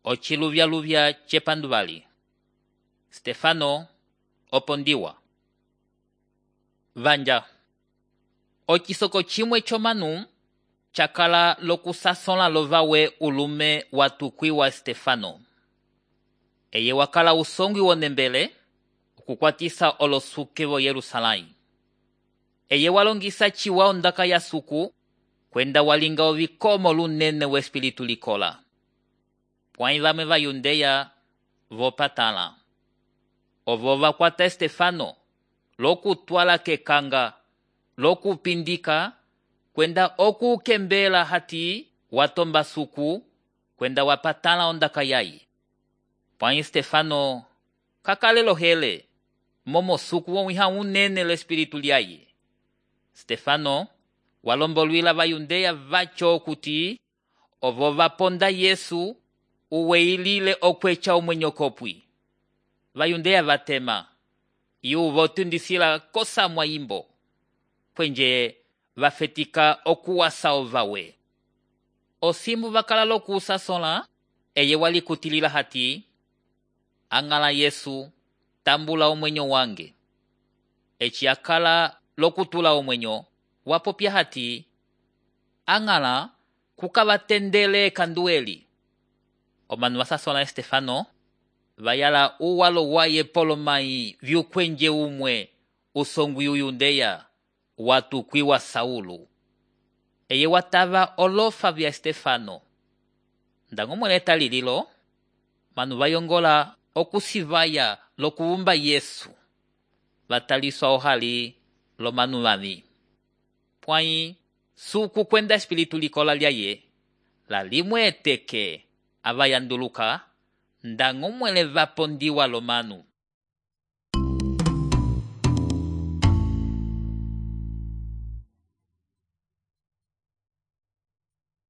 Ociluvyaluvya cepanduvali. Stefano opondiwa. Vanja. Ocisoko cimwe comanu cakala lokusasola lovawe ulume watukwiwa Stefano. Eye wakala usongwi wonembele okukwatisa olosuke vo Yerusalai. Eye walongisa ciwa ondaka ya suku kwenda walinga ovikomo lunene we espiritu likola. Pwãyi vamwe va Yudeya vopatala. Ovo vakwata Stefano lokutwala kekanga, lokupindika, kwenda okukembela hati watomba suku kwenda wapatala ondaka yayi. Pwãyi Stefano kakalelo hele momo suku womwiha unene l'espiritu lyayi. Stefano walombolwila va Yudeya vaco okuti ovo vaponda Yesu uweilile okweca omwenyo kopwi. Va Yudeya vatema yu votundisila kosamwa imbo kwenje vafetika okuwasa ovawe. Osimbu vakala lokusasola eye walikutilila hati angala Yesu tambula omwenyo wange. Eci akala lokutula omwenyo wapopya hati angala kukavatendele kandueli. Omanu vasasola Stefano vayala uwalo waye polomai vyukwenje umwe usongwi Yudeya watukwiwa Saulu. Eye watava olofa vya Stefano. Ndango mweleta lililo manu vayongola okusivaya lokuumba Yesu. Vataliswa ohali lo manu vavi. Pwãyi suku kwenda espiritu likola lyaye la limwe eteke avayanduluka ndango mwele vapondiwa lo manu.